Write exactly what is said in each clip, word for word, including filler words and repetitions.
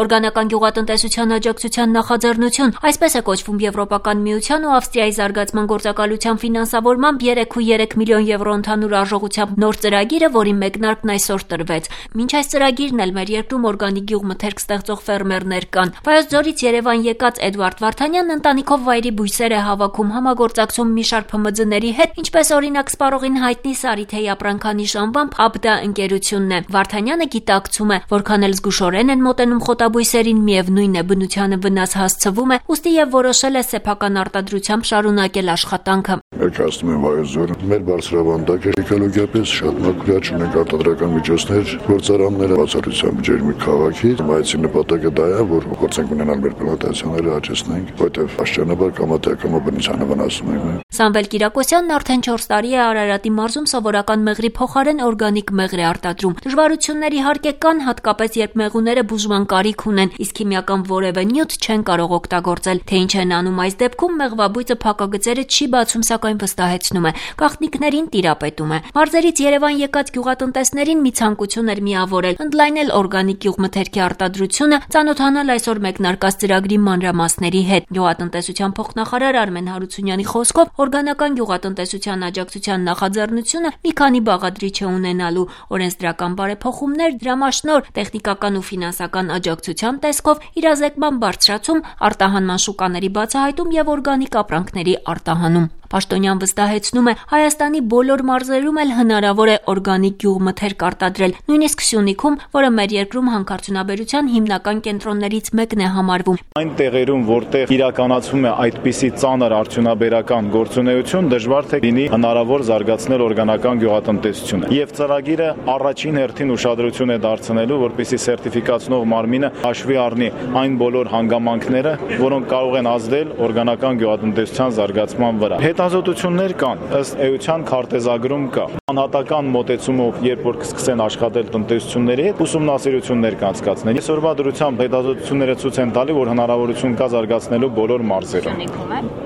Օրգանական գյուղատնտեսության աջակցության նախաձեռնություն, այսպես է կոչվում Եվրոպական միության ու Ավստրիայի զարգացման գործակալության ֆինանսավորմամբ երեք կόμμα երեք միլիոն եվրո ընդհանուր արժողությամբ նոր ծրագիրը, որի մեկնարկն այսօր տրվեց։ Մինչ այս ծրագիրն էլ մեր երկրում օրգանիկ գյուղմթերք ստեղծող ֆերմերներ կան։ Վայոց ձորից Երևան եկած Էդվարդ Վարդանյանն ընտանիքով վայրի բույսեր է հավաքում, համագործակցում մի շարք Փ M D-ների հետ, ինչպես օրինակ սպառողին հայտնի Սարիթեի ապրանքանիշ անվամբ Աբդա ընկերությունն է։ Վարդանյանը գիտակցում է, որքան էլ զգուշորեն են մոտենում խոտաբույսերին, միևնույն է բնությանը վնաս հասցվում է, ուստի եւ որոշել է սեփական արտադրությամբ շարունակել աշխատանքը։ Ներկայացնում եմ Վայոց ձորը, մեր բարձրավանդակ է էկոլոգիապես շատ մակրիաչ ունենք արտադրական միջոցներ, գործարանները բացառությամբ ջերմի քաղաքի, այցի նպատակը դա է, որ փորձենք ունենալ մեր պլանտացիաները աճեցնենք, որտեղ աշճանաբար կամատեակամա բնությանը վնասում ենք։ Սամվել Կիրակոսյանն արդեն չորս տարի է Արարատի մարզում սովորական մեղրի փոխարեն օրգանիկ մեղր է արտադրում։ Դժվարություններ իհարկե կան, հատկապես երբ մեղուները բուժման կարիք ունեն, իսկ քիմիական որևէ նյութ չեն կարող օգտագործել։ Թե ինչ են անում այս դեպքում, մեղվաբույծը փակագծերը չի բացում, սակայն վստահեցնում է, գաղտնիքներին տիրապետում է։ Մարզերից Երևան եկած գյուղատնտեսներին մի ցանկություն էր միավորել, ընդլայնել օրգանիկ գյուղմթերքի արտադրությունը, ծանոթանալ այսօր մեկնարկած ծրագրի մանրամասների հետ։ Գյուղատնտեսության փոխնախարար Արմեն Հարությունյանի խոսքով, օրգանական գյուղատնտեսության աջակցության նախաձեռնությունը մի քանի բաղադրիչ է ունենալու՝ օրենսդրական բարեփոխումներ, դրամաշնոր, տեխնիկական ու ֆինանսական աջակցության տեսքով, իրազեկման բարձրացում, արտահանման շուկաների բացահայտում եւ օրգանիկ ապրանքների արտահանում։ Պաշտոնյան վստահեցնում է, Հայաստանի բոլոր մարզերում էլ հնարավոր է օրգանիկ գյուղմթերք արտադրել, նույնիսկ Սյունիքում, որը մեր երկրում հանքարդյունաբերության հիմնական կենտրոններից մեկն է համարվում։ Այն տեղերում, որտեղ իրականացվում է այդպիսի ծանր արդյունաբերական գործունեություն, դժվար թե լինի հնարավոր զարգացնել օրգանական գյուղատնտեսությունը։ Եվ ծրագիրը առաջին հերթին ուշադրություն է դարձնելու, որպեսզի սերտիֆիկացնող մարմինը հաշվի առնի այն բոլոր հանգամանքները, որոնք կարող են ազդել օրգանական գյուղատնտեսության զարգացման վրա։ Հետազոտություններ կան, ըստ էության քարտեզագրում կա։ Անհատական մոտեցումով, երբ որ կսկսեն աշխատել տնտեսությունների հետ, ուսումնասիրություններ կանցկացնել։ Այսօրվա դրությամբ հետազոտությունները ցույց են տալի, որ հնարավորություն կա զարգացնելու բոլոր մարզերում։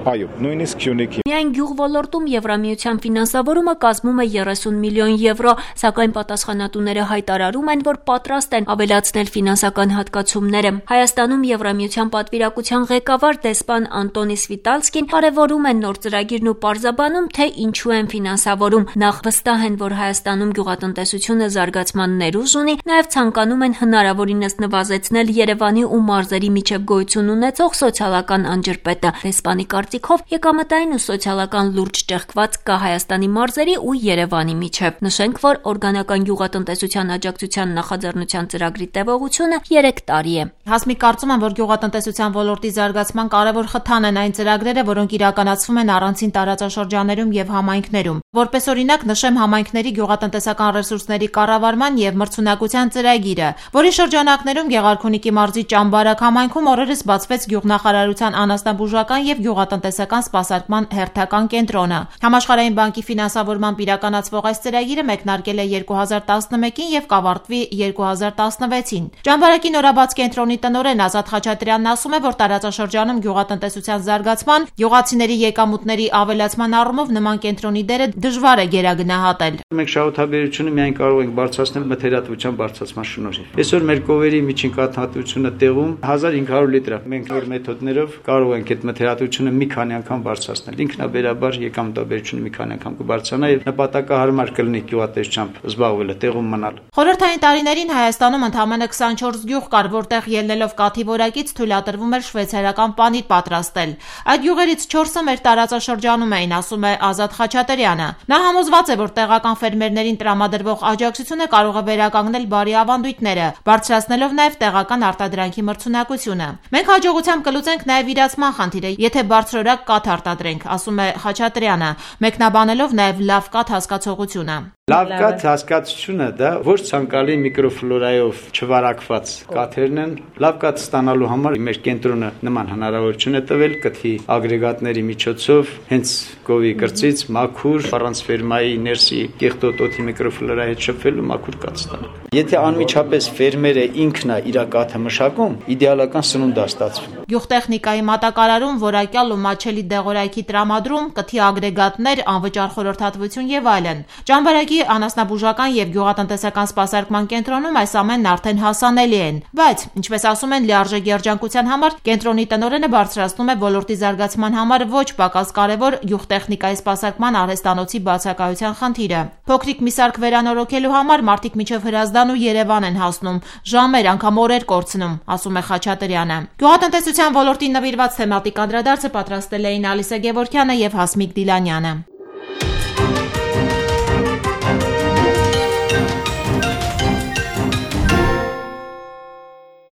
Այո, նույնիսկ Սյունիքի։ Միայն գյուղ ոլորտում Եվրամիության ֆինանսավորումը կազմում է երեսուն միլիոն եվրո, սակայն պատասխանատուները հայտարարում են, որ պատրաստ են ավելացնել ֆինանսական հատկացումները։ Հայաստանում Եվրամիության պատվիրակության ղեկավար դեսպան Անտոնի Սվիտալսկին կարևորում են նոր ծրագիրն ու պարզաբանում, թե ինչու են ֆինանսավորում։ Նախ վստահ են, որ Հայաստանում գյուղատնտեսությունը զարգացման ներուժ ունի, նաև ցանկանում են հնարավորինս նվազեցնել Երևանի ու մարզերի միջև գոյություն ունեցող սոցիալական անջրպետը։ Դեսպանի կարծիքով եկամտային ու սոցիալական լուրջ ճեղքված կա Հայաստանի մարզերի ու Երևանի միջև։ Նշենք, որ օրգանական գյուղատնտեսության աջակցության նախաձեռնության ծրագրի տևողությունը երեք տարի է։ Հասմիկ, կարծում եմ, որ գյուղատնտեսության ոլորտի զարգացման կարևոր խթան են այն ծրագրերը, որոնք իրականացվում են առանցին տարածաշրջաներում եւ համայնքներում։ Որպես օրինակ նշեմ համայնքների գյուղատնտեսական ռեսուրսների կառավարման եւ մրցունակության ծրագիրը, որի շրջանակներում Գեղարքունիքի մարզի Ճամբարակ համայնքում օրերս բացվեց գյուղնախարարության անասնաբուժական եւ գյուղատնտեսական սպասարկման հերթական կենտրոնը։ Համաշխարհային բանկի ֆինանսավորմամբ իրականացվող այս ծրագիրը մեկնարկել է երկու հազար տասնմեկին եւ կավարտվի երկու հազար տասնվեցին։ Ճամբարակի նորաբաց կենտրոնի տնօրեն Ազատ Խաչատրյանն ասում է, որ տարածաշրջանում գյուղատնտեսության զարգացման, գյուղացիների եկամուտների ավելացման առումով նման կենտրոնի դերը դժվար է գերագնահատել։ Մենք շահութաբերությունը միայն կարող ենք բարձրացնել մթերատվության բարձրացման շնորհիվ։ Այսօր մեր կովերի միջին կաթնատվությունը տեղում հազար հինգ հարյուր լիտր է։ Մենք նոր մեթոդներով կարող ենք այդ մթերատվությունը մի քանի անգամ բարձրացնել։ Ինքնաբերաբար եկամտաբերությունը մի քանի անգամ կբարձրանա եւ նպատակահարմար կլինի գյուղատնտեսությամբ զբաղվելը, տեղում մնալ։ Խորհրդային տարիներին Հայաստանում ընդամենը քսանչորս գյուղ կար, որտեղ ելնելով կաթի որակից թույլատրվում էր շվեյցարական պանիր պատրաստել։ Այդ գյուղերից չորսը մեր տարածաշրջանում էին, ասում է Ազատ Խաչատրյանը։ Նա համոզված է, որ տեղական ֆերմերներին տրամադրվող աջակցությունը կարող է վերականգնել բարի ավանդույթները, բարձրացնելով նաև տեղական արտադրանքի մրցունակությունը։ Մենք հաջողությամբ կլուծենք նաև իրացման խնդիրը, եթե բարձրորակ կաթ արտադրենք, ասում է Խաչատրյանը, մեկնաբանելով նաև լավ կաթ հասկացողությունը։ Լավ կաթ հասկացությունը դա ոչ ցանկալի միկրոֆլորայով չվարակված կաթերն են։ Լավ կաթ ստանալու համար մեր կենտրոնը նման հնարավորություն է տվել կթի ագրեգատների միջոցով հենց գովի կրծից մաքուր առանց ֆերմայի ներսի կեղտոտ օդի միկրոֆլորայի հետ շփվելու մաքուր կաթ ստանալ։ Եթե անմիջապես ֆերմերը ինքն է իր կաթը մշակում, իդեալական սնունդ է ստացվում։ Գյուղտեխնիկայի մատակարարում, որակյալ ու մատչելի դեղորայքի տրամադրում, կթի ագրեգատներ, անվճար խորհրդատվություն եւ այլն։ Ճամբարակի անասնաբուժական եւ գյուղատնտեսական սպասարկման կենտրոնում այս ամենն արդեն հասանելի են, բայց ինչպես ասում են լիարժեք երջանկության համար, կենտրոնի տնօրենը բարձրացնում է ոլորտի զարգացման համար ոչ պակաս կարևոր գյուղտեխնիկայի սպասարկման արհեստանոցի բացակայության խնդիրը։ Փոքրիկ մի սարք վերանորոգելու համար մարդիկ մինչև Հրազդան ու Երևան են հասնում, ժամեր, անգամ օրեր կորցնում, ասում է Խաչատրյանը։ Գյուղատնտեսության ոլորտին նվիրված թեմատիկ անդրադարձը պատրաստել էին Ալիսա Գևորգյանը եւ Հասմիկ Դիլանյանը։